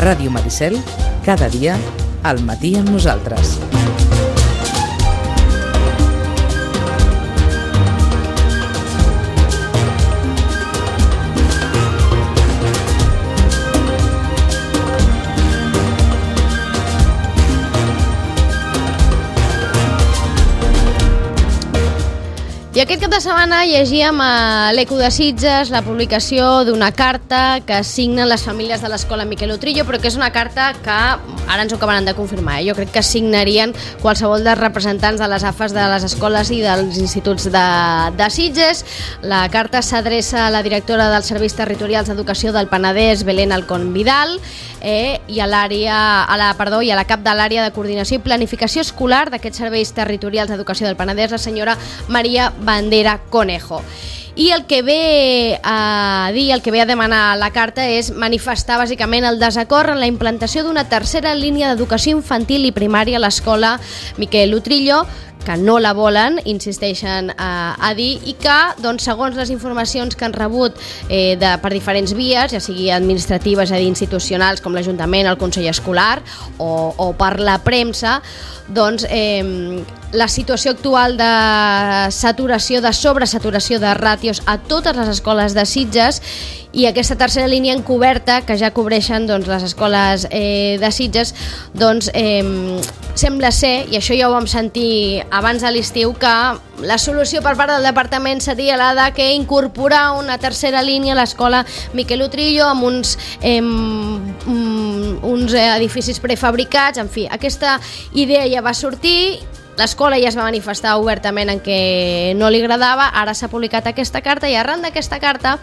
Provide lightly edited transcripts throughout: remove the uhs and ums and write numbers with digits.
Ràdio Maricel, cada dia, al matí amb nosaltres. I aquest cap de setmana llegíem a l'Eco de Sitges la publicació d'una carta que signen les famílies de l'escola Miquel Utrillo, però que és una carta que ara ens ho acabaran de confirmar. Jo crec que signarien qualsevol dels representants de les AFAs de les escoles i dels instituts de Sitges. La carta s'adreça a la directora dels Serveis Territorials d'Educació del Penedès, Belén Alcón Vidal, i a la cap de l'àrea de coordinació i planificació escolar d'aquests serveis territorials d'educació del Penedès, la senyora Maria Bandera Conejo. I el que ve a dir, el que ve a demanar la carta és manifestar bàsicament el desacord en la implantació d'una tercera línia d'educació infantil i primària a l'escola Miquel Utrillo, que no la volen, insisteixen a dir, i que, doncs, segons les informacions que han rebut per diferents vies, ja sigui administratives, és a dir, institucionals, com l'Ajuntament, el Consell Escolar, o per la premsa, doncs la situació actual de saturació, de sobresaturació de ràtios a totes les escoles de Sitges, i aquesta tercera línia encoberta, que ja cobreixen doncs, les escoles de Sitges, doncs sembla ser, i això ja ho vam sentir abans de l'estiu, que la solució per part del departament seria la de que incorporar una tercera línia a l'escola Miquel Utrillo amb uns edificis prefabricats. En fi, aquesta idea ja va sortir. L'escola ja es va manifestar obertament en què no li agradava. Ara s'ha publicat aquesta carta i arran d'aquesta carta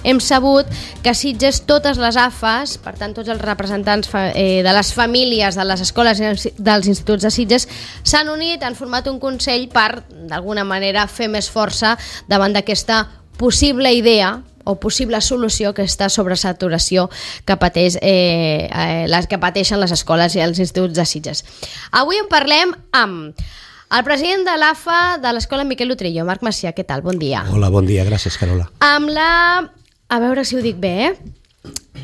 hem sabut que a Sitges totes les AFAs, per tant tots els representants de les famílies de les escoles i dels instituts de Sitges, s'han unit, han format un consell per, d'alguna manera, fer més força davant d'aquesta possible idea o possible solució, aquesta sobresaturació que pateixen les escoles i els instituts de Sitges. Avui en parlem amb el president de l'AFA de l'escola Miquel Utrillo, Marc Macià. Què tal? Bon dia. Hola, bon dia, gràcies, Carola. Amb la... A veure si ho dic bé,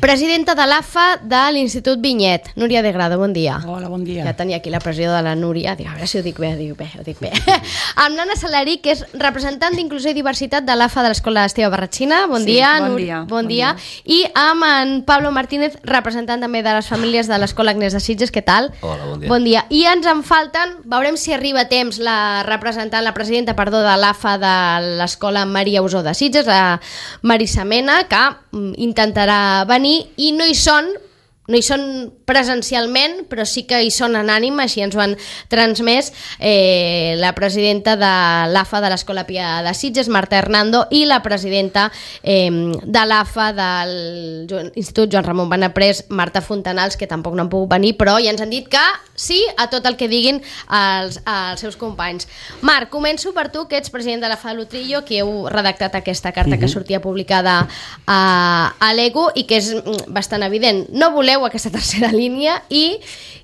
presidenta de l'AFA de l'Institut Vinyet, Núria de Grado, bon dia. Hola, bon dia. Ja tenia aquí la pressió de la Núria, dic, a veure si ho dic bé, ho dic bé. Amb l'Anna Salari, que és representant d'Inclusió i Diversitat de l'AFA de l'Escola Esteve Barratxina, bon dia. Bon dia. I amb en Pablo Martínez, representant també de les famílies de l'Escola Agnès de Sitges, què tal? Hola, bon dia. Bon dia. I ens en falten, veurem si arriba a temps la presidenta de l'AFA de l'Escola Maria Usó de Sitges, la Marisa Mena, que intentarà venir, i no hi són presencialment, però sí que hi són en ànim, així ens ho han transmès la presidenta de l'AFA de l'Escola Pia de Sitges, Marta Hernando, i la presidenta de l'AFA de l'Institut Joan Ramon Benaprés, Marta Fontanals, que tampoc no han pogut venir, però ja ens han dit que sí a tot el que diguin els seus companys. Marc, començo per tu, que ets president de l'AFA de l'Utrillo, que heu redactat aquesta carta que sortia publicada a l'ECO i que és bastant evident. No voleu aquesta tercera línia i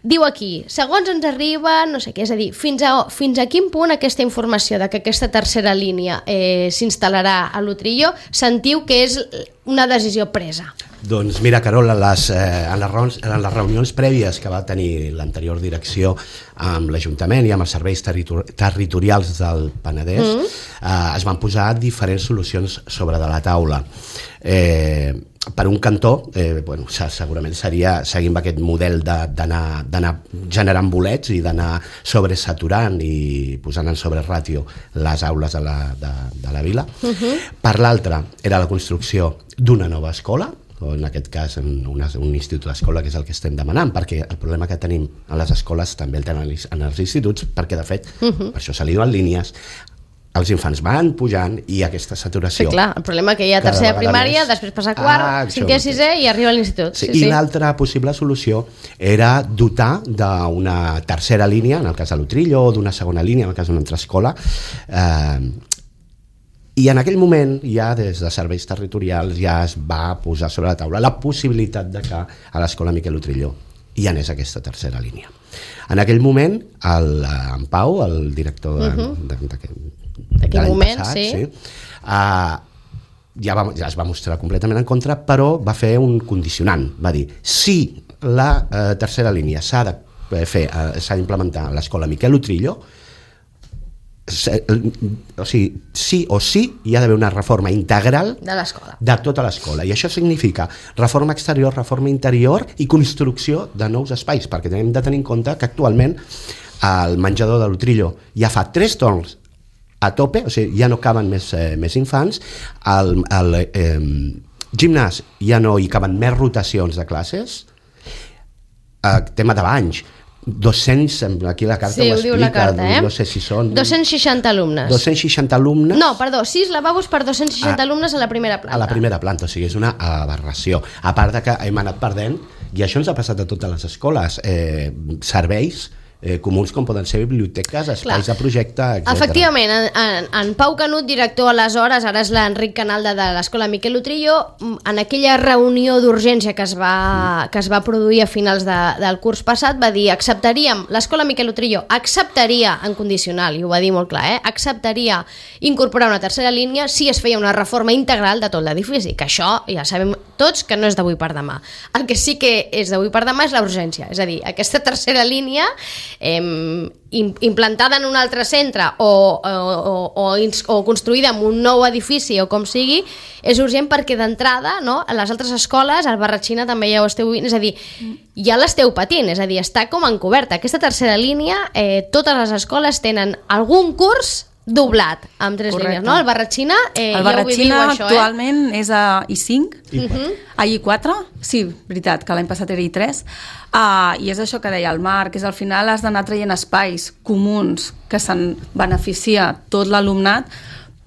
diu aquí, segons ens arriba, no sé què, és a dir, fins a quin punt aquesta informació de que aquesta tercera línia s'instal·larà a l'Utrillo sentiu que és una decisió presa? Doncs mira, Carola, en les reunions prèvies que va tenir l'anterior direcció amb l'Ajuntament i amb els serveis territorials del Penedès, es van posar diferents solucions sobre de la taula. Per un cantó, segurament seria seguint aquest model d'anar generant bolets i d'anar sobresaturant i posant en sobreràtio les aules de la vila. Per l'altre, era la construcció d'una nova escola, o en aquest cas un institut d'escola, que és el que estem demanant, perquè el problema que tenim a les escoles també el tenen en els instituts, perquè de fet, per això se li diuen línies, els infants van pujant i aquesta saturació... Sí, clar, el problema que hi ha tercera primària, després passa quart, cinquè, sisè i arriba a l'institut. I l'altra possible solució era dotar d'una tercera línia, en el cas de l'Utrillo, o d'una segona línia, en el cas d'una altra escola, i en aquell moment ja des de serveis territorials ja es va posar sobre la taula la possibilitat de que a l'escola Miquel Utrillo hi anés aquesta tercera línia. En aquell moment en Pau, el director d'aquell moment, sí, ja es va mostrar completament en contra, però va fer un condicionant, va dir, si la tercera línia. S'ha d'implementar a l'escola Miquel Utrillo. O sigui, sí o sí hi ha d'haver una reforma integral de l'escola, de tota l'escola, i això significa reforma exterior, reforma interior i construcció de nous espais, perquè hem de tenir en compte que actualment el menjador de l'Utrillo ja fa 3 torns a tope, o sigui, ja no caben més infants, al gimnàs ja no hi caben més rotacions de classes, tema de banys, 200, aquí la carta ho explica, diu la carta, no sé si són 260 alumnes. 260 alumnes. No, perdó, 6 lavabos per 260 alumnes a la primera planta. A la primera planta, o sigui, és una aberració. A part de que hem anat perdent, i això ens ha passat a totes les escoles, serveis comuns com poden ser biblioteques, espais de projecte, etc. Efectivament, en Pau Canut, director aleshores, ara és l'Enric Canalda de l'escola Miquel Utrillo, en aquella reunió d'urgència que es va produir a finals del curs passat, va dir, l'escola Miquel Utrillo acceptaria, en condicional, i ho va dir molt clar, acceptaria incorporar una tercera línia si es feia una reforma integral de tot l'edifici, que això ja sabem tots que no és d'avui per demà. El que sí que és d'avui per demà és la urgència, és a dir, aquesta tercera línia implantada en un altre centre o construïda en un nou edifici o com sigui, és urgent perquè d'entrada, no, a les altres escoles, al Barratxina també ja ho esteu vivint, és a dir, ja l'esteu patint, és a dir, està com encoberta. Aquesta tercera línia, totes les escoles tenen algun curs doblat amb 3 línies, no? El Barratxina el Barratxina ja actualment és a I5, a I4, sí, veritat, que l'any passat era I3, i és això que deia el Marc, és al final has d'anar traient espais comuns que se'n beneficia tot l'alumnat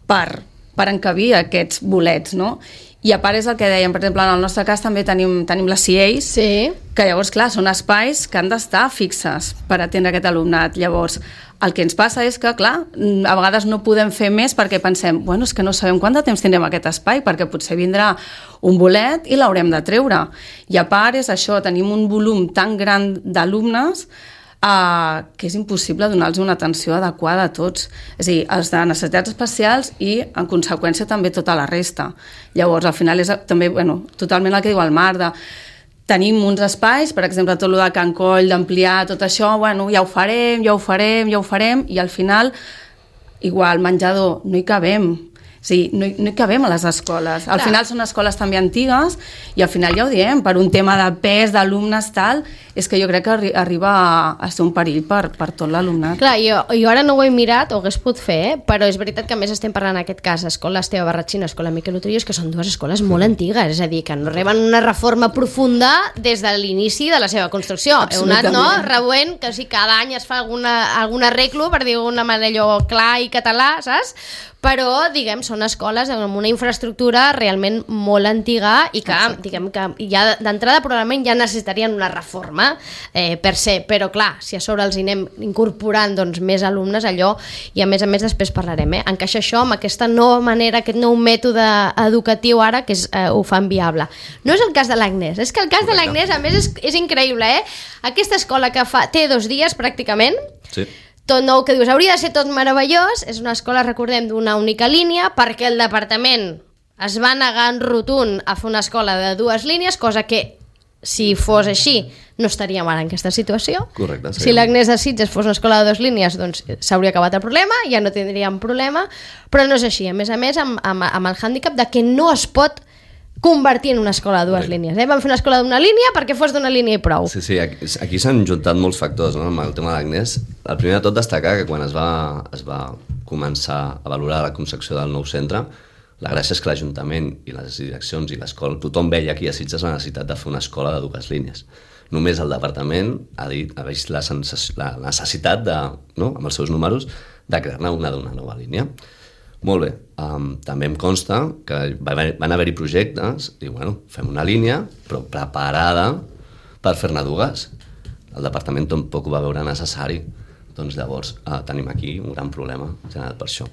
per encabir aquests bolets, no? I a part és el que dèiem, per exemple, en el nostre cas també tenim les CIEs, que llavors, clar, són espais que han d'estar fixes per atendre aquest alumnat. Llavors, el que ens passa és que, clar, a vegades no podem fer més perquè pensem, bueno, és que no sabem quant de temps tindrem aquest espai, perquè potser vindrà un bolet i l'haurem de treure. I a part és això, tenim un volum tan gran d'alumnes que és impossible donar-los una atenció adequada a tots, és a dir, els de necessitats especials i en conseqüència també tota la resta. Llavors al final és també, bueno, totalment el que diu el Marc, tenim uns espais, per exemple tot el de Can Coll, d'ampliar tot això, bueno, ja ho farem i al final igual menjador, no hi cabem. Sí, no hi cabem a les escoles. Al final són escoles també antigues i al final ja ho diem, per un tema de pes, d'alumnes, tal, és que jo crec que arriba a ser un perill per tot l'alumnat. Clar, jo ara no ho he mirat, ho hagués pogut fer, però és veritat que a més estem parlant en aquest cas Escola Esteve Barratxina, Escola Miquel Utrillo, que són 2 escoles molt antigues, és a dir, que no reben una reforma profunda des de l'inici de la seva construcció. Heu anat, no?, rebent que si cada any es fa algun arreglo, per dir d'una manera allò clar i català, saps? Però, diguem, són escoles amb una infraestructura realment molt antiga i que, diguem, que ja d'entrada probablement ja necessitarien una reforma per se, però clar, si a sobre els hi anem incorporant doncs, més alumnes, allò, i a més després parlarem, encaixa això amb aquesta nova manera, aquest nou mètode educatiu ara que ho fan viable. No és el cas de l'Agnès, és que el cas de l'Agnès a més és increïble, Aquesta escola que té 2 dies pràcticament, sí. Tot nou, que dius, hauria de ser tot meravellós, és una escola, recordem, d'una única línia, perquè el departament es va negar en rotund a fer una escola de 2 línies, cosa que, si fos així, no estaríem ara en aquesta situació. Correcte. Si l'Agnès de Sitges fos una escola de 2 línies, doncs s'hauria acabat el problema, ja no tindríem problema, però no és així. A més, amb el hàndicap de que no es pot convertir en una escola de 2 línies. Vam fer una escola d'una línia perquè fos d'una línia i prou. Sí, aquí s'han juntat molts factors, no?, amb el tema de l'Agnès. El primer de tot destacar que quan es va començar a valorar la concepció del nou centre, la gràcia és que l'Ajuntament i les direccions i l'escola, tothom veia aquí a Sitges la necessitat de fer una escola de 2 línies. Només el departament ha vist la necessitat, no?, amb els seus números, de crear-ne una d'una nova línia. Molt bé, també em consta que van haver-hi projectes i bueno, fem una línia però preparada per fer-ne 2. El departament tampoc ho va veure necessari, doncs llavors tenim aquí un gran problema generat per això.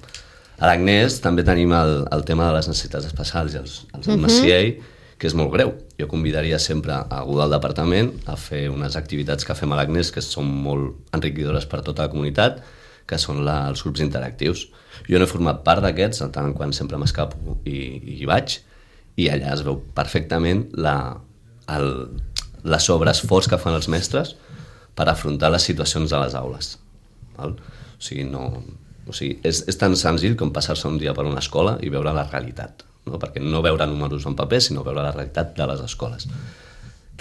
A l'Agnès també tenim el tema de les necessitats especials i els alumnes CIE, que és molt greu. Jo convidaria sempre a algú del departament a fer unes activitats que fem a l'Agnès que són molt enriquidores per tota la comunitat, que són els grups interactius. Jo no he format part d'aquests, tant en quant sempre m'escapo i hi vaig, i allà es veu perfectament l'esforç que fan els mestres per afrontar les situacions a les aules. Val? O sigui, és tan senzill com passar-se un dia per una escola i veure la realitat, no? Perquè no veure números en paper, sinó veure la realitat de les escoles.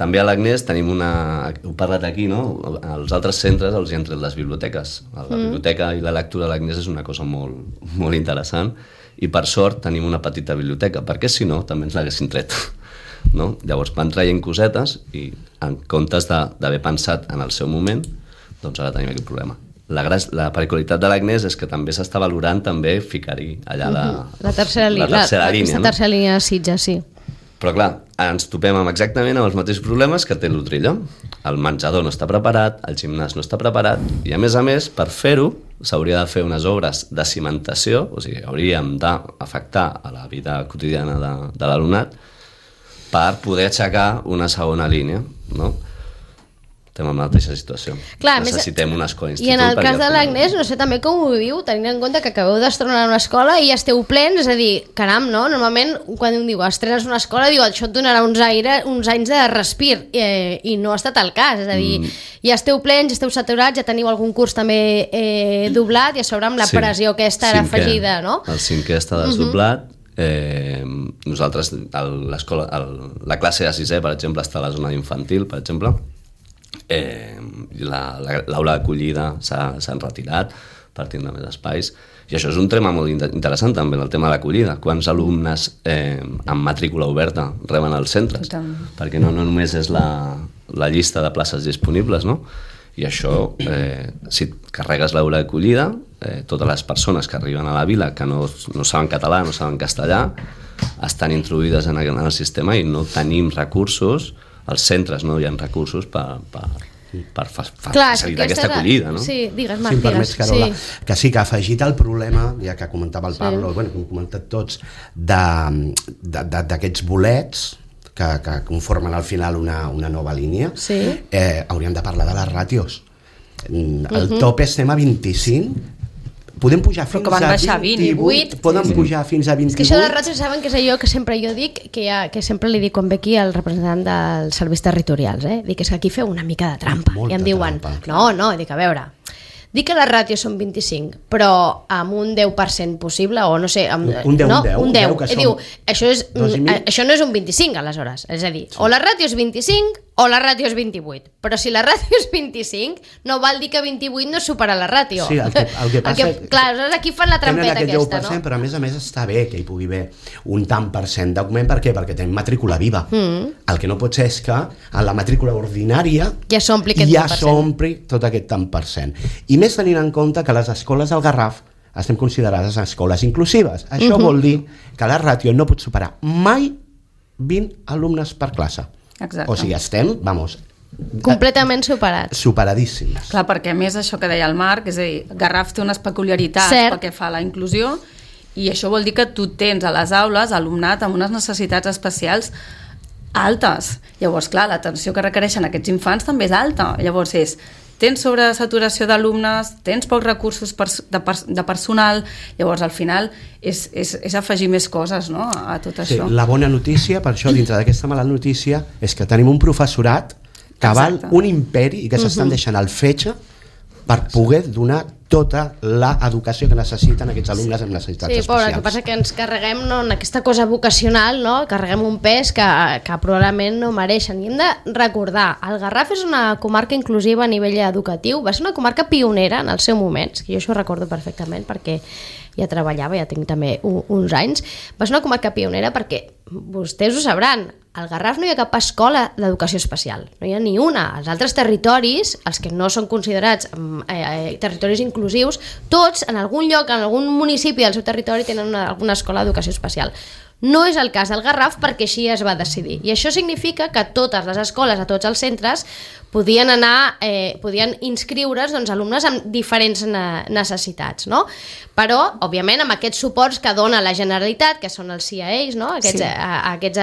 També a l'Agnès tenim heu parlat aquí, no? Als altres centres els hi han tret les biblioteques. La biblioteca i la lectura a l'Agnès és una cosa molt, molt interessant i per sort tenim una petita biblioteca, perquè si no també ens l'haguessin tret. No? Llavors van traient cosetes i en comptes d'haver pensat en el seu moment, doncs ara tenim aquest problema. La particularitat de l'Agnès és que també s'està valorant també ficar-hi allà la tercera línia. Aquesta tercera línia de Sitges, sí. Però clar, ens topem exactament amb els mateixos problemes que té l'Utrillo. El menjador no està preparat, el gimnàs no està preparat i a més, per fer-ho s'hauria de fer unes obres de cimentació, o sigui, hauríem d'afectar a la vida quotidiana de l'alumnat per poder aixecar una segona línia, no? Estem en la mateixa situació. Clar, necessitem una escola institut. I en el cas de l'Agnès, no sé també com ho viu, tenint en compte que acabeu d'estrenar una escola i ja esteu plens, és a dir, caram, no? Normalment, quan diu estrenes una escola, diu, això et donarà uns anys de respir, i no ha estat el cas, és a dir, ja esteu plens, ja esteu saturats, ja teniu algun curs també doblat, i a sobre amb la pressió aquesta era afegida, no? El 5è està desdoblat, nosaltres, la classe de 6è, per exemple, està a la zona infantil, per exemple, l'aula d'acollida s'han retirat per tindre més espais i això és un tema molt interessant també, el tema de l'acollida, quants alumnes amb matrícula oberta reben als centres, perquè no només és la llista de places disponibles, no? I això, si carregues l'aula d'acollida, totes les persones que arriben a la vila que no saben català, no saben castellà, estan introduïdes en el sistema i no tenim recursos. Els centres no hi ha recursos per facilitar aquesta acollida, no? Sí, digues, Marc, si em permets, Carola, que sí que ha afegit el problema, ja que comentava el Pablo, bueno, com hem comentat tots, d'aquests bolets que conformen al final una nova línia, hauríem de parlar de les ràtios. El top estem a 25, podem pujar fins a 28, poden pujar fins a 28. És que això de les ràtios saben que és allò que sempre jo dic, que sempre li dic quan ve aquí el representant dels serveis territorials, dic, és que aquí feu una mica de trampa, i em diuen, no, dic, a veure, dic que les ràtios són 25, però amb un 10% possible, o no sé, un 10, diu, això no és un 25 aleshores, és a dir, o la ràtio és 25 o la ràtio és 28, però si la ràtio és 25 no vol dir que 28 no supera la ràtio. Sí, el que passa és clar, aleshores aquí fan la trampeta aquesta, 10%, no? Però a més està bé que hi pugui haver un tant per cent d'augment, per què? Perquè tenim matrícula viva. El que no pot ser és que en la matrícula ordinària ja s'ompli tot aquest tant per cent. I més tenint en compte que les escoles del Garraf estem considerades escoles inclusives. Això vol dir que la ràtio no pot superar mai 20 alumnes per classe. Exacte. O sigui, estem, completament superadíssims. Clar, perquè a més això que deia el Marc, és a dir, Garraf té unes peculiaritats pel que fa a la inclusió i això vol dir que tu tens a les aules alumnat amb unes necessitats especials altes. Llavors, clar, l'atenció que requereixen aquests infants també és alta. Llavors tens sobresaturació d'alumnes, tens pocs recursos de personal, llavors al final és afegir més coses, no, a tot això. La bona notícia, per això, dintre d'aquesta mala notícia, és que tenim un professorat que val un imperi i que s'estan deixant el fetge per poder donar tota l'educació que necessiten aquests alumnes amb necessitats especials. El que passa que ens carreguem en aquesta cosa vocacional, no? Carreguem un pes que probablement no mereixen. I hem de recordar, el Garraf és una comarca inclusiva a nivell educatiu, va ser una comarca pionera en el seu moment, que jo això ho recordo perfectament perquè ja treballava, ja tinc també uns anys, va ser una comarca pionera perquè vostès ho sabran, al Garraf no hi ha cap escola d'educació especial, no hi ha ni una. Els altres territoris, els que no són considerats territoris inclusius, tots en algun lloc, en algun municipi del seu territori tenen alguna escola d'educació especial. No és el cas del Garraf perquè així es va decidir. I això significa que totes les escoles, a tots els centres, podien inscriure's alumnes amb diferents necessitats, no? Però, òbviament, amb aquests suports que dona la Generalitat, que són els CIAs, no? Aquests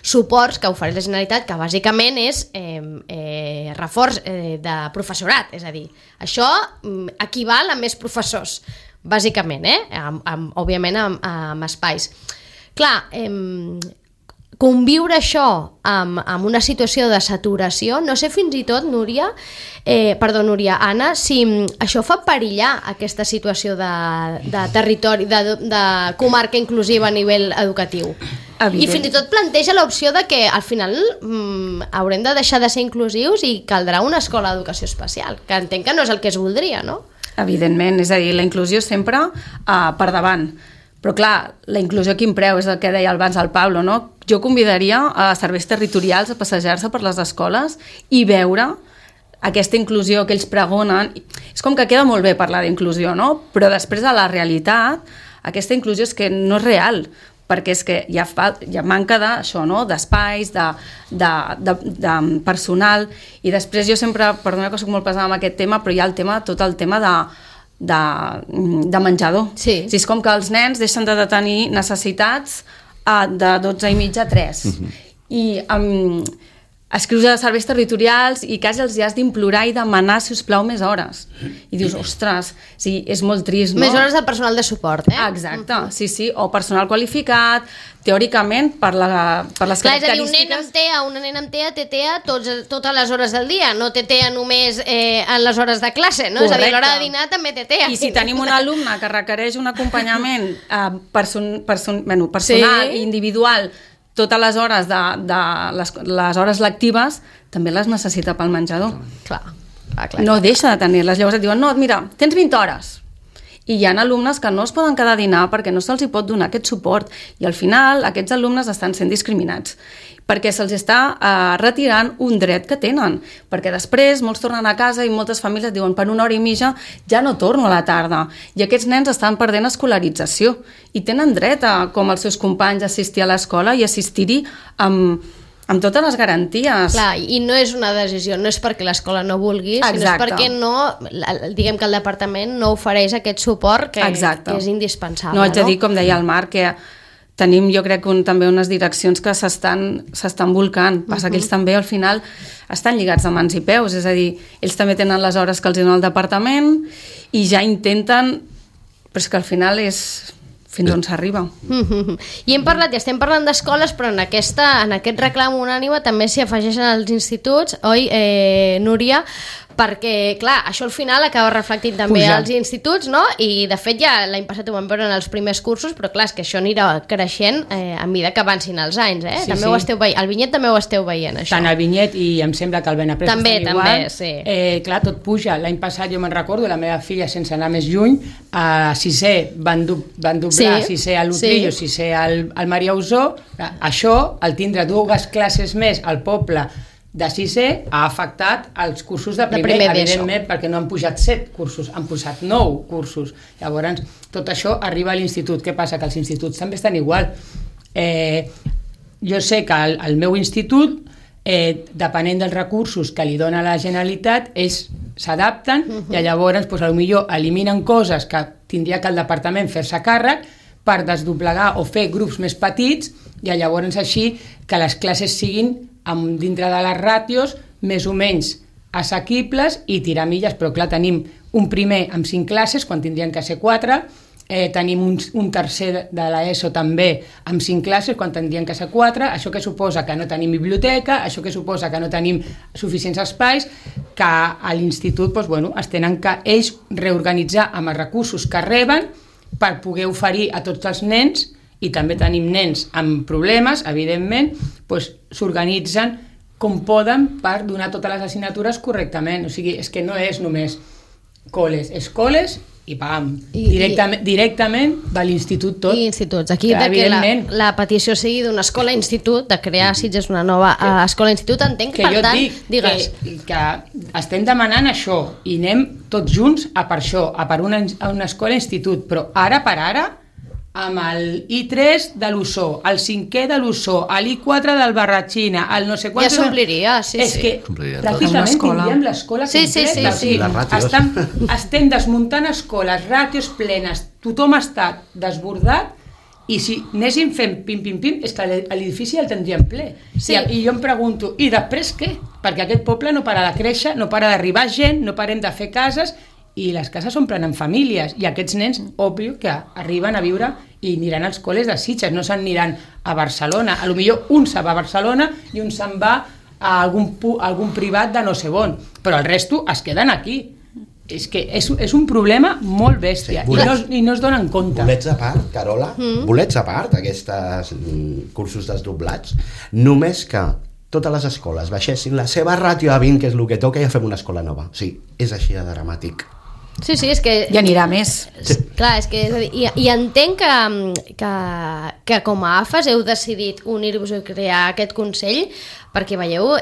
suports que ofereix la Generalitat, que bàsicament és reforç de professorat, és a dir, això equival a més professors, bàsicament, òbviament amb espais. Clar, conviure això amb una situació de saturació, no sé fins i tot, Núria, Anna, si això fa perillar aquesta situació de territori, de comarca inclusiva a nivell educatiu. I fins i tot planteja l'opció de que al final haurem de deixar de ser inclusius i caldrà una escola d'educació especial, que entenc que no és el que es voldria, no? Evidentment, és a dir, la inclusió sempre per davant. Però clar, la inclusió a quin preu, és el que deia abans el Pablo, no? Jo convidaria a serveis territorials a passejar-se per les escoles i veure aquesta inclusió que ells pregonen. És com que queda molt bé parlar d'inclusió, no? Però després de la realitat, aquesta inclusió és que no és real, perquè és que hi ha manca d'això, no? D'espais, de personal, i després jo sempre, perdona que soc molt pesada amb aquest tema, però hi ha tot el tema de menjador. Sí. És com que els nens deixen de tenir necessitats de 12 i mitja a 3. I escrius a serveis territorials i quasi els has d'implorar i demanar, si us plau, més hores. I dius, ostres, sí, és molt trist, no? Més hores de personal de suport, eh? Exacte, sí, o personal qualificat, teòricament, per les característiques... Clar, és a dir, un nen amb TEA, una nena amb TEA té TEA totes les hores del dia, no té TEA només en les hores de classe, no? Correcte. És a dir, a l'hora de dinar també té TEA. I si tenim un alumne que requereix un acompanyament personal i individual totes les hores les hores lectives, també les necessita pel menjador. Clar. No deixa de tenir-les. Llavors et diuen, no, mira, tens 20 hores. I hi ha alumnes que no es poden quedar a dinar perquè no se'ls hi pot donar aquest suport. I al final aquests alumnes estan sent discriminats perquè se'ls està retirant un dret que tenen. Perquè després molts tornen a casa i moltes famílies diuen per 1 hora i mitja ja no torno a la tarda. I aquests nens estan perdent escolarització i tenen dret, com els seus companys, a assistir a l'escola i assistir-hi amb totes les garanties. Clar, i no és una decisió, no és perquè l'escola no vulgui, sinó és perquè diguem que el departament no ofereix aquest suport que és indispensable. No, haig de dir, com deia el Marc, que tenim, jo crec, també unes direccions que s'estan volcant. Passa que ells també, al final, estan lligats de mans i peus. És a dir, ells també tenen les hores que els dona el departament i ja intenten... Però és que al final és fins on s'arriba. I estem parlant d'escoles, però en aquest reclam unànime també s'hi afegeixen els instituts, oi, Núria? Perquè, clar, això al final acaba reflectint també als instituts, no? I, de fet, ja l'any passat ho vam veure en els primers cursos, però, clar, és que això anirà creixent a mesura que avancin els anys, eh? Sí, també ho esteu veient. Al Vinyet també ho esteu veient, això. Tant al Vinyet i em sembla que al Benaprés també, igual. Sí. Clar, tot puja. L'any passat jo me'n recordo, la meva filla, sense anar més lluny, a sisè van doblar, sisè a l'Utrillo, sisè al Maria Usó. Això, el tindre 2 classes més al poble de sisè, ha afectat els cursos de primer evidentment, perquè no han pujat 7 cursos, han posat 9 cursos. Llavors, tot això arriba a l'institut. Què passa? Que els instituts també estan igual. Jo sé que al meu institut, depenent dels recursos que li dona la Generalitat, ells s'adapten i llavors potser eliminen coses que tindria que el departament fer-se càrrec per desdoblegar o fer grups més petits i llavors així que les classes siguin dintre de les ràtios més o menys assequibles i tirar milles, però clar, tenim un primer amb 5 classes quan tindrien que ser 4, tenim un tercer de l'ESO també amb 5 classes quan tindrien que ser 4, això que suposa que no tenim biblioteca, això que suposa que no tenim suficients espais, que a l'institut es tenen que ells reorganitzar amb els recursos que reben per poder oferir a tots els nens. I també tenim nens amb problemes, evidentment, s'organitzen com poden per donar totes les assignatures correctament. O sigui, és que no és només col·les i pam, directament de l'institut tot. I instituts. Aquí que la petició sigui d'una escola-institut, de crear a Sitges una nova escola-institut, entenc que, per tant, digues... Que estem demanant això i anem tots junts a per això, a per una escola-institut, però ara per ara amb el I3 de l'Ossó, el 5è de l'Ossó, l'I4 del Barratxina, el no sé quant... Ja s'ompliria, És que pràcticament tindríem l'escola completa. Sí. Estem desmuntant escoles, ràtios plenes, tothom està desbordat i si anéssim fent pim, és que l'edifici el tindríem ple. Sí. I jo em pregunto, i després què? Perquè aquest poble no para de créixer, no para d'arribar gent, no parem de fer cases i les cases s'omplen en famílies, i aquests nens, òbvio, que arriben a viure i aniran als col·les de Sitges, no s'aniran a Barcelona. A lo millor un se'n va a Barcelona i un se'n va a algun privat de no sé on, però el resto es queden aquí. És que és un problema molt bèstia, i no es donen compte. Bolets a part, Carola, bolets a part, aquests cursos desdoblats, només que totes les escoles baixessin la seva ràtio a 20, que és el que toca, i ja fem una escola nova. Sí, és així de dramàtic. Sí, és que... I anirà més. Clar, és que i entenc que com a AFAS heu decidit unir-vos a crear aquest Consell perquè veieu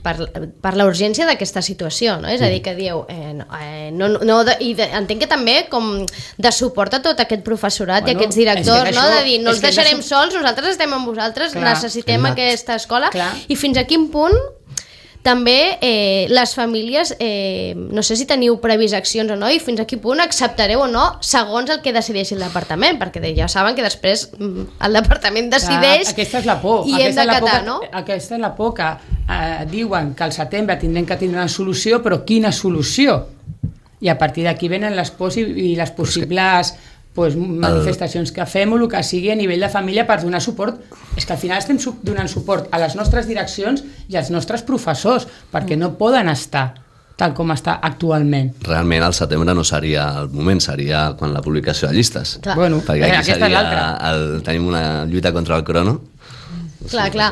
per la urgència d'aquesta situació, no? És a dir, que dieu... entenc que també com de suport a tot aquest professorat i aquests directors, no? De dir, no els deixarem sols, nosaltres estem amb vosaltres, necessitem aquesta escola, i fins a quin punt també les famílies, no sé si teniu previst accions o no, i fins a quin punt acceptareu o no segons el que decideixi el departament, perquè ja saben que després el departament decideix. Aquesta és la por. I hem d'acatar, no? Aquesta és la por, que diuen que al setembre tindrem que tindre una solució, però quina solució? I a partir d'aquí venen les pors i les possibles manifestacions que fem o el que sigui a nivell de família per donar suport. És que al final estem donant suport a les nostres direccions i als nostres professors, perquè no poden estar tal com està actualment. Realment al setembre no seria el moment, seria quan la publicació de llistes. Bueno, perquè aquí seria tenim una lluita contra el crono. Clar,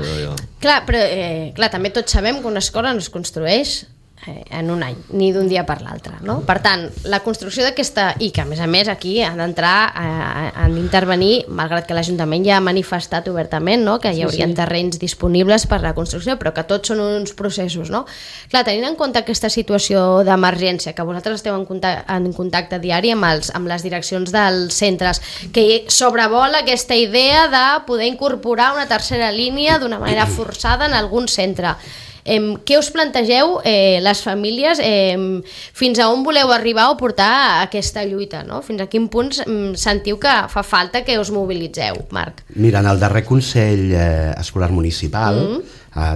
però també tots sabem que una escola no es construeix en un any, ni d'un dia per l'altre, no? Per tant, la construcció d'aquesta, i que a més aquí han d'entrar, han d'intervenir, malgrat que l'Ajuntament ja ha manifestat obertament, no? Que hi haurien terrenys disponibles per la construcció, però que tots són uns processos, no? Clar, tenint en compte aquesta situació d'emergència, que vosaltres esteu en contacte diari amb les direccions dels centres, que sobrevola aquesta idea de poder incorporar una tercera línia d'una manera forçada en algun centre. Què us plantegeu les famílies? Fins a on voleu arribar o portar aquesta lluita? No? Fins a quin punt sentiu que fa falta que us mobilitzeu, Marc? Mira, en el darrer Consell Escolar Municipal,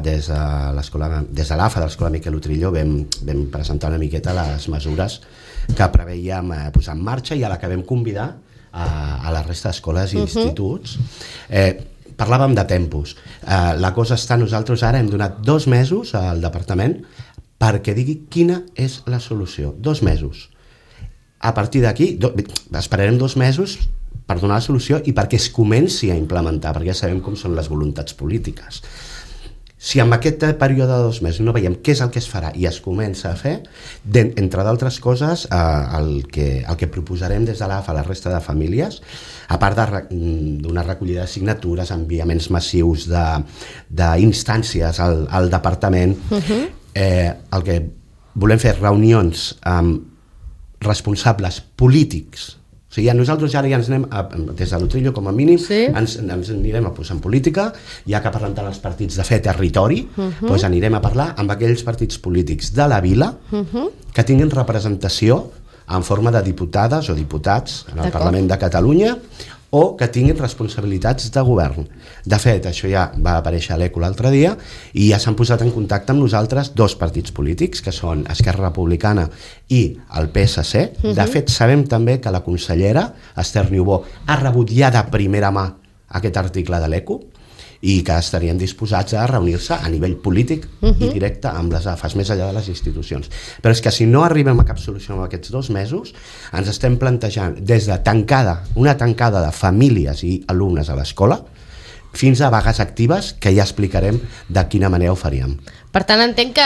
des de l'AFA de l'Escola Miquel Utrillo, vam presentar una miqueta les mesures que preveiem posar en marxa i a la que vam convidar a la resta d'escoles i instituts. Parlàvem de tempos. La cosa està, nosaltres ara hem donat 2 mesos al departament perquè digui quina és la solució. 2 mesos. A partir d'aquí, esperarem 2 mesos per donar la solució i perquè es comenci a implementar, perquè ja sabem com són les voluntats polítiques. Si en aquest període de 2 mesos no veiem què és el que es farà i es comença a fer, entre d'altres coses, el que proposarem des de l'AFA a la resta de famílies, a part d'una recollida de signatures, enviaments massius d'instàncies al departament, el que volem fer reunions amb responsables polítics. O sigui, nosaltres ja ens anem, des de l'Utrillo com a mínim, ens anirem a posar en política, ja que parlen tant els partits de fer territori, doncs anirem a parlar amb aquells partits polítics de la vila que tinguin representació en forma de diputades o diputats en el Parlament de Catalunya o que tinguin responsabilitats de govern. De fet, això ja va aparèixer a l'ECO l'altre dia i ja s'han posat en contacte amb nosaltres 2 partits polítics, que són Esquerra Republicana i el PSC. De fet, sabem també que la consellera Esther Niubó ha rebut ja de primera mà aquest article de l'ECO i que estarien disposats a reunir-se a nivell polític i directe amb les AFAs, més enllà de les institucions. Però és que si no arribem a cap solució en aquests 2 mesos, ens estem plantejant des de una tancada de famílies i alumnes a l'escola fins a vagues actives, que ja explicarem de quina manera ho faríem. Per tant, entenc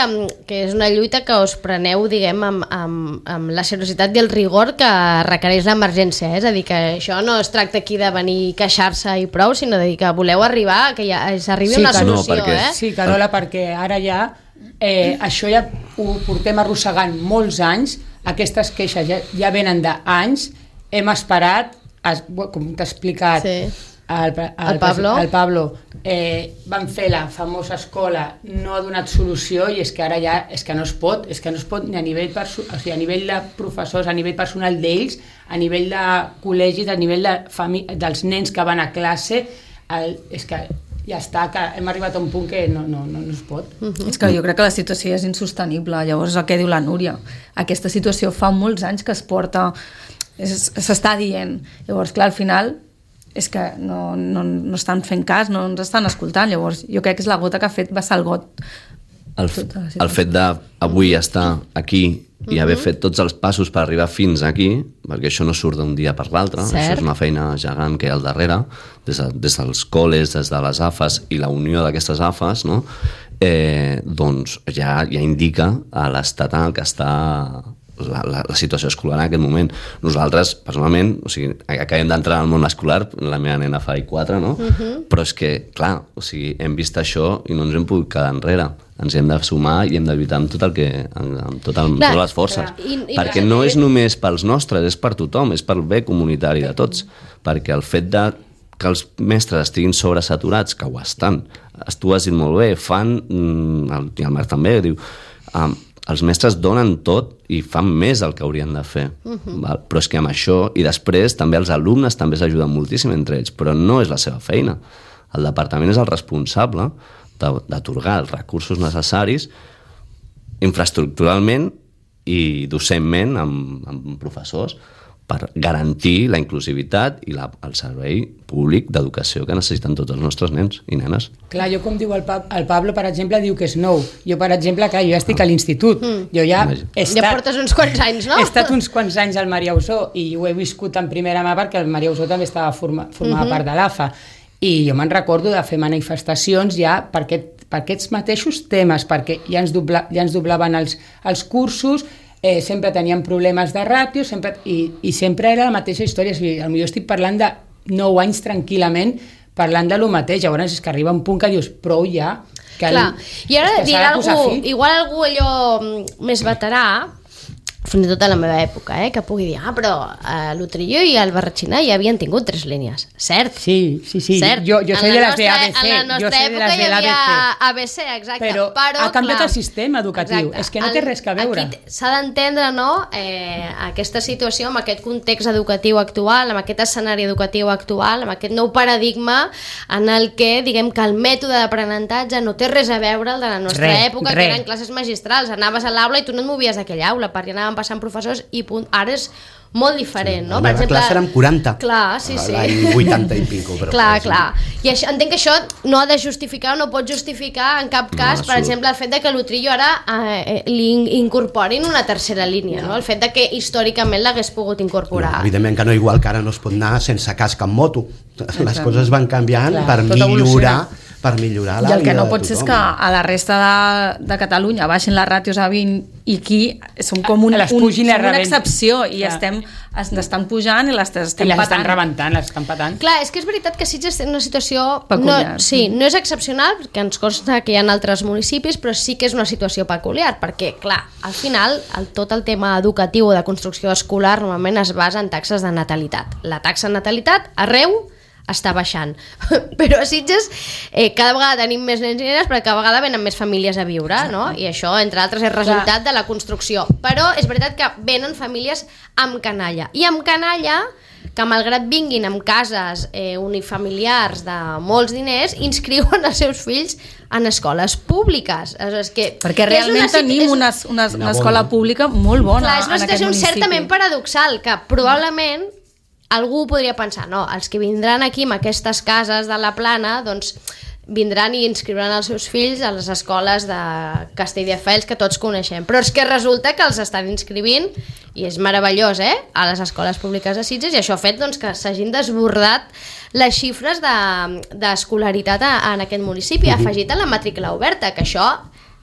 que és una lluita que us preneu, diguem, amb la seriositat i el rigor que requereix l'emergència. És a dir, que això no es tracta aquí de venir a queixar-se i prou, sinó de dir que voleu arribar, que ja s'arribi a una solució. Sí, Carola, perquè ara ja això ja ho portem arrossegant molts anys, aquestes queixes ja venen d'anys, hem esperat, com t'ha explicat, el Pablo van fer la famosa escola, no ha donat solució i és que ara ja és que no es pot ni a nivell a nivell de professors, a nivell personal d'ells, a nivell de col·legis, a nivell dels nens que van a classe, és que ja està, que hem arribat a un punt que no es pot. És que jo crec que la situació és insostenible. Llavors, el que diu la Núria, aquesta situació fa molts anys que es porta, s'està dient. Llavors, clar, al final és que no estan fent cas, no ens estan escoltant. Llavors, jo crec que és la gota que ha fet vessar el got. El fet d'avui estar aquí i haver fet tots els passos per arribar fins aquí, perquè això no surt d'un dia per l'altre, això és una feina gegant que hi ha al darrere, des dels col·les, des de les AFAs i la unió d'aquestes AFAs, no? Doncs ja indica a l'estat en el que està la situació escolar en aquest moment. Nosaltres, personalment, o sigui, acabem d'entrar al món escolar, la meva nena fa I4, no? Però és que, clar, o sigui, hem vist això i no ens hem pogut quedar enrere. Ens hem de sumar i hem de lluitar amb totes les forces. Perquè no és només pels nostres, és per tothom, és pel bé comunitari de tots. Perquè el fet que els mestres estiguin sobresaturats, que ho estan, tu has dit molt bé, fan, i el Marc també diu, els mestres donen tot i fan més del que haurien de fer. Però és que amb això, i després també els alumnes també s'ajuden moltíssim entre ells, però no és la seva feina. El departament és el responsable d'atorgar els recursos necessaris infraestructuralment i docentment amb professors per garantir la inclusivitat i el servei públic d'educació que necessiten tots els nostres nens i nenes. Clar, jo com diu el Pablo, per exemple, diu que és nou. Jo, per exemple, clar, jo ja estic a l'institut. Jo ja ja portes uns quants anys, no? He estat uns quants anys al Maria Usó i ho he viscut en primera mà perquè el Maria Usó també formava part de l'AFA. I jo me'n recordo de fer manifestacions ja per aquests mateixos temes, perquè ja ens doblaven els cursos, sempre teníem problemes de ràtio i sempre era la mateixa història. Potser estic parlant de 9 anys tranquil·lament parlant de lo mateix. Llavors és que arriba un punt que dius prou ja. Clar, i ara dirà algú, igual algú allò més veterà, fins i tot a la meva època, que pugui dir, però l'Utrillo i el Barratxina ja havien tingut 3 línies. Cert? Sí. Cert. Jo soy de las de ABC. En la nostra època hi havia ABC, exacte. Però ha canviat el sistema educatiu. És que no té res a veure. Aquí s'ha d'entendre, no?, aquesta situació, amb aquest context educatiu actual, amb aquest escenari educatiu actual, amb aquest nou paradigma en el que, diguem que el mètode d'aprenentatge no té res a veure el de la nostra època, que eren classes magistrals. Anaves a l'aula i tu no et movies d'aquella aula, perquè anaven passant professors i punt. Ara és molt diferent, no? La meva classe érem 40. Clar, sí. L'any 80 i pico. Clar. I això, entenc que això no ha de justificar o no pot justificar en cap cas, per exemple, el fet de que l'Utrillo ara li incorporin una tercera línia, no? El fet de que històricament l'hagués pogut incorporar. No, evidentment que no, igual que ara no es pot anar sense casc en moto. Les coses van canviant per millorar la vida de tothom. I el que no pot ser és que a la resta de Catalunya baixin les ràtios a 20 i aquí som com una excepció i ens estan pujant i les estan rebentant, les estan patant. Clar, és que és veritat que Sitges té una situació peculiar. No és excepcional, perquè ens consta que hi ha altres municipis, però sí que és una situació peculiar, perquè, clar, al final, tot el tema educatiu o de construcció escolar normalment es basa en taxes de natalitat. La taxa de natalitat arreu està baixant, però a Sitges cada vegada tenim més nens i nenes, però cada vegada venen més famílies a viure, no? I això, entre altres, és resultat de la construcció. Però és veritat que venen famílies amb canalla, i amb canalla que malgrat vinguin amb cases unifamiliars de molts diners, inscriuen els seus fills en escoles públiques. Perquè realment tenim una escola pública molt bona. Clar, és una situació certament paradoxal, que probablement algú podria pensar, no, els que vindran aquí amb aquestes cases de la Plana, doncs vindran i inscriuran els seus fills a les escoles de Castelldefels que tots coneixem, però és que resulta que els estan inscrivint, i és meravellós, a les escoles públiques de Sitges, i això ha fet doncs, que s'hagin desbordat les xifres d'escolaritat en aquest municipi, afegit a la matrícula oberta, que això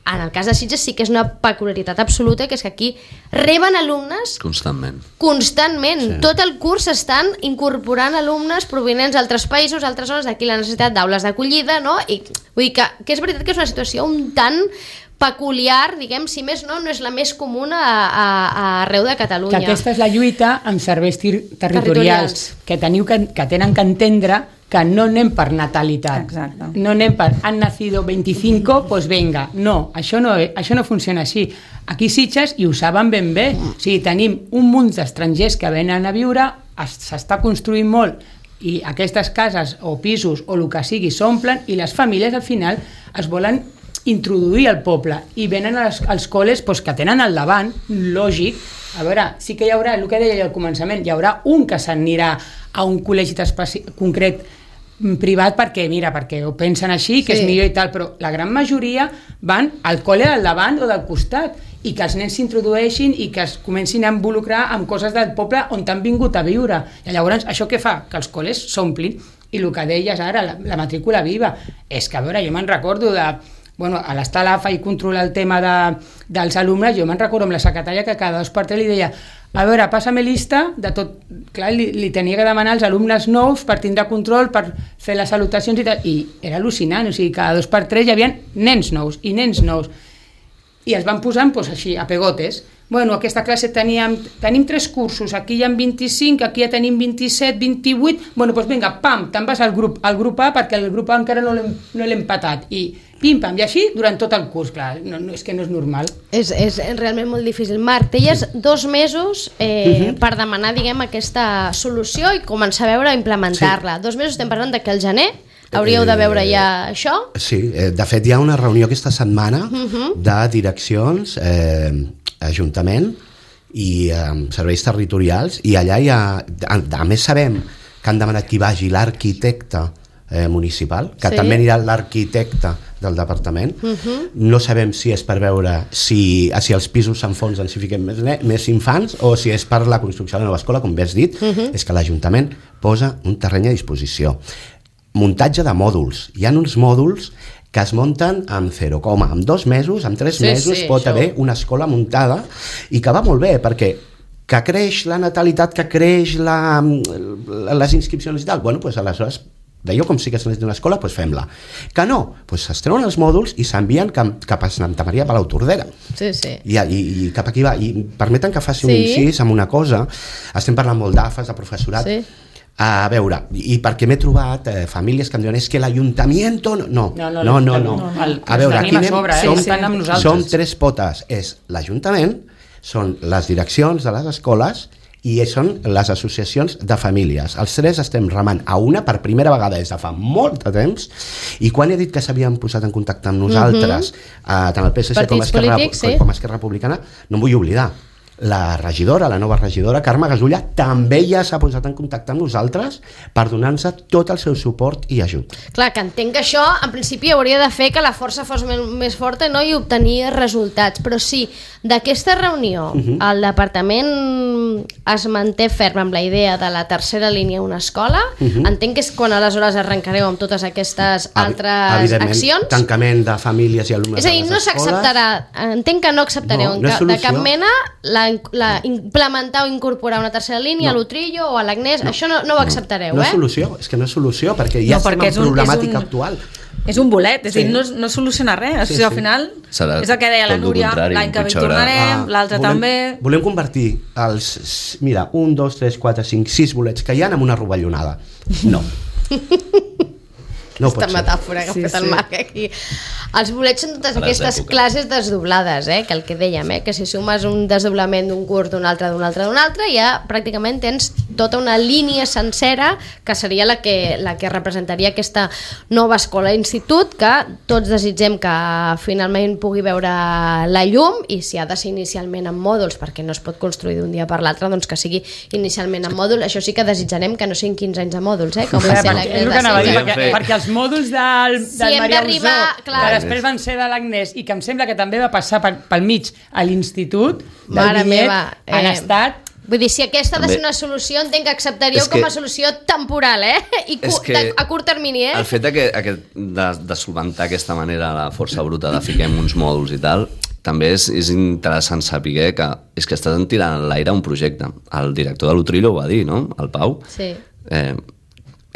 en el cas de Sitges sí que és una peculiaritat absoluta, que és que aquí reben alumnes constantment. Sí. Tot el curs estan incorporant alumnes provinents d'altres països, altres zones, d'aquí la necessitat d'aules d'acollida, no? I vull dir que és veritat que és una situació un tant peculiar, diguem, si més no és la més comuna arreu de Catalunya. Que aquesta és la lluita amb serveis territorials, que tenen que entendre que no anem per natalitat. Exacte. No anem per han nacido 25, pues venga. No, això no funciona així. Aquí Sitges, i ho saben ben bé, o sigui, tenim un munt d'estrangers que venen a viure, s'està construint molt i aquestes cases o pisos o el que sigui s'omplen i les famílies al final es volen introduir al poble i venen als col·les que tenen al davant, lògic. A veure, sí que hi haurà, el que deia al començament, hi haurà un que s'anirà a un col·legi concret privat perquè ho pensen així, que és millor i tal, però la gran majoria van al col·le del davant o del costat i que els nens s'introdueixin i que es comencin a involucrar amb coses del poble on han vingut a viure. I llavors, això què fa? Que els col·les s'omplin. I el que deies ara, la matrícula viva, és que, a veure, jo me'n recordo de... Bueno, a l'estar a l'AFA i controlar el tema dels alumnes, jo me'n recordo amb la secretària que cada 2 per 3 li deia a veure, passa-me lista de tot... Clar, li tenia que demanar als alumnes nous per tindre control, per fer les salutacions i tal, i era al·lucinant, o sigui, cada 2 per 3 hi havia nens nous i nens nous. I els van posant així, a pegotes. Bueno, aquesta classe tenim 3 cursos, aquí hi ha 25, aquí ja tenim 27, 28, bueno, doncs vinga, pam, te'n vas al grup A perquè el grup A encara no l'hem patat, i pim-pam, i així durant tot el curs, clar, és que no és normal. És realment molt difícil. Marc, teies 2 mesos per demanar, diguem, aquesta solució i començar a veure implementar-la. 2 mesos estem parlant que al gener hauríeu de veure ja això? Sí, de fet hi ha una reunió aquesta setmana de direccions, Ajuntament i serveis territorials, i allà hi ha, a més sabem que han demanat que hi vagi l'arquitecte municipal, que també anirà l'arquitecte del departament. No sabem si és per veure si els pisos s'enfonsen, si fiquem més infants, o si és per la construcció de la nova escola, com bé has dit, és que l'Ajuntament posa un terreny a disposició. Muntatge de mòduls. Hi ha uns mòduls que es munten amb 0, amb 2 mesos, amb 3 mesos pot haver una escola muntada, i que va molt bé, perquè que creix la natalitat, que creix les inscripcions i tal, bueno, doncs aleshores veieu com sí que s'ha d'una escola, doncs fem-la. Que no, doncs es treuen els mòduls i s'envien cap a Santa Maria Palau Tordera. I cap aquí va. I permeten que faci un incís amb una cosa. Estem parlant molt d'AFAs, de professorat. A veure, i perquè m'he trobat famílies que em diuen és que l'Ajuntament... No. A veure, aquí som 3 potes. És l'Ajuntament, són les direccions de les escoles i són les associacions de famílies. Els 3 estem remant a una per primera vegada des de fa molt de temps, i quan he dit que s'havien posat en contacte amb nosaltres, tant el PSC com Esquerra Republicana, no em vull oblidar. La nova regidora, Carme Gasulla, també ja s'ha posat en contacte amb nosaltres per donar-nos tot el seu suport i ajut. Clar, que entenc que això, en principi, hauria de fer que la força fos més forta, no? I obtenir resultats. Però sí, d'aquesta reunió, el departament es manté ferm amb la idea de la tercera línia a una escola. Entenc que és quan aleshores arrencareu amb totes aquestes altres accions. Tancament de famílies i alumnes. És a dir, no s'acceptarà, entenc que no acceptareu de cap mena implementar o incorporar una tercera línia a l'Utrillo o a l'Agnès, això no ho acceptareu, No és solució, és que no és solució, perquè ja estem en problemàtica actual. És un bolet, és a dir, no soluciona res. Al final, és el que deia la Núria, l'any que ve tornarem, l'altre també... Volem convertir els, 1, 2, 3, 4, 5, 6 bolets que hi ha en una rovellonada. No. Aquesta metàfora que ha fet el Marc aquí. Els bolets són totes aquestes classes desdoblades, que el que dèiem, que si sumes un desdoblament d'un curs, d'un altre, ja pràcticament tens tota una línia sencera que seria la que representaria aquesta nova escola-institut, que tots desitgem que finalment pugui veure la llum, i si ha de ser inicialment en mòduls, perquè no es pot construir d'un dia per l'altre, doncs que sigui inicialment en mòduls. Això sí que desitjarem que no siguin 15 anys de mòduls, com va ser perquè els mòduls del Maria Usó, que després van ser de l'Agnès i que em sembla que també va passar pel mig a l'institut del Vinyet, han estat... Vull dir, si aquesta ha de ser una solució, entenc que acceptaríeu com a solució temporal, i a curt termini, El fet de solventar d'aquesta manera la força bruta de fiquem uns mòduls i tal, també és interessant saber que és que estàs tirant a l'aire un projecte. El director de l'Utrillo ho va dir, no? El Pau. Sí.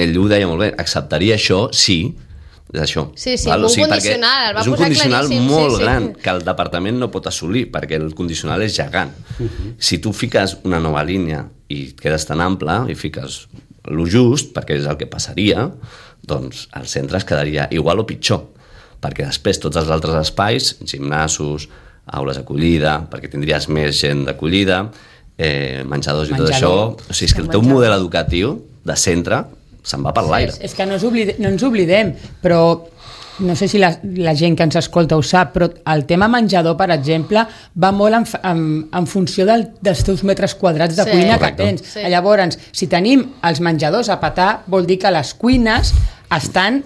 Ell ho deia molt bé, acceptaria això, sí, és això. Sí, un condicional, el va posar claríssim. És un condicional molt gran que el departament no pot assolir, perquè el condicional és gegant. Si tu fiques una nova línia i quedes tan ample i fiques lo just, perquè és el que passaria, doncs el centre es quedaria igual o pitjor, perquè després tots els altres espais, gimnasos, aules d'acollida, perquè tindries més gent d'acollida, menjadors i tot això, o sigui, és que el teu model educatiu de centre se'n va per l'aire. És que no ens oblidem, però no sé si la gent que ens escolta ho sap, però el tema menjador, per exemple, va molt en funció dels teus metres quadrats de cuina que tens. Llavors, si tenim els menjadors a petar, vol dir que les cuines estan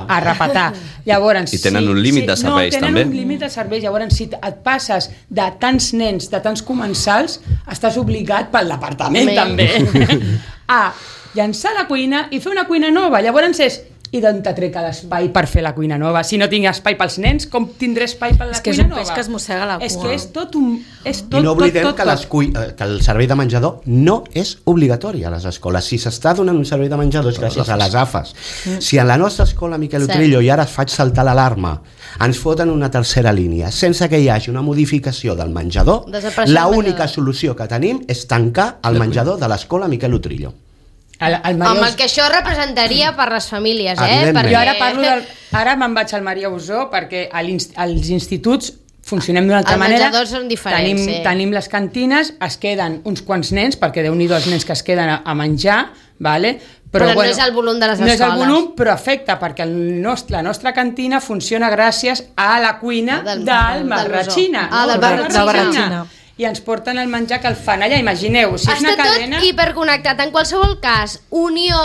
a repetar. Llavors, I tenen un límit de serveis, també. No, tenen un límit de serveis. Llavors, si et passes de tants nens, de tants comensals, estàs obligat pel departament, també, a llançar la cuina i fer una cuina nova. Llavors és, i d'on te trec l'espai per fer la cuina nova? Si no tinc espai pels nens, com tindré espai per la cuina nova? És que és un peix que es mossega la cua. És que és tot un... I no oblidem que el servei de menjador no és obligatori a les escoles. Si s'està donant un servei de menjador és gràcies a les AFAs. Si a la nostra escola Miquel Utrillo, i ara faig saltar l'alarma, ens foten una tercera línia sense que hi hagi una modificació del menjador, l'única solució que tenim és tancar el menjador de l'escola Miquel Utrillo. Amb el que això representaria per les famílies, Perquè... Jo ara me'n vaig al Maria Usó perquè als instituts funcionem d'una altra manera. Els menjadors són diferents, Tenim les cantines, es queden uns quants nens, perquè Déu-n'hi-do els nens que es queden a menjar, vale? Però no és el volum de les escoles. No és el volum, però afecta, perquè la nostra cantina funciona gràcies a la cuina del Barratxina. Del Barratxina. I ens porten el menjar que el fan allà, imagineu, si és una cadena... Està tot hiperconnectat. En qualsevol cas, unió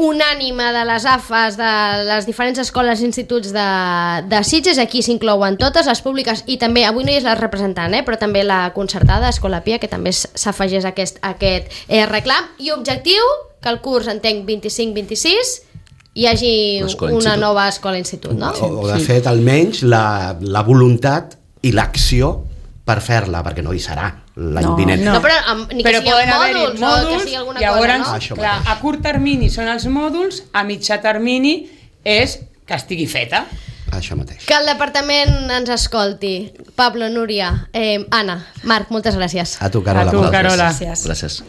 unànime de les AFAs, de les diferents escoles i instituts de Sitges, aquí s'inclouen totes, les públiques, i també, avui no hi és la representant, però també la concertada, Escola Pia, que també s'afegeix a aquest reclam. I objectiu, que el curs, entenc, 25-26, hi hagi una nova escola-institut, no? O de fet, almenys, la voluntat i l'acció per fer-la, perquè no hi serà l'any vinent. No, però ni que siguin mòduls, o que sigui alguna cosa, no? A curt termini són els mòduls, a mitjà termini és que estigui feta. Això mateix. Que el departament ens escolti. Pablo, Núria, Anna, Marc, moltes gràcies. A tu, Carola. A tu, Carola. Gràcies.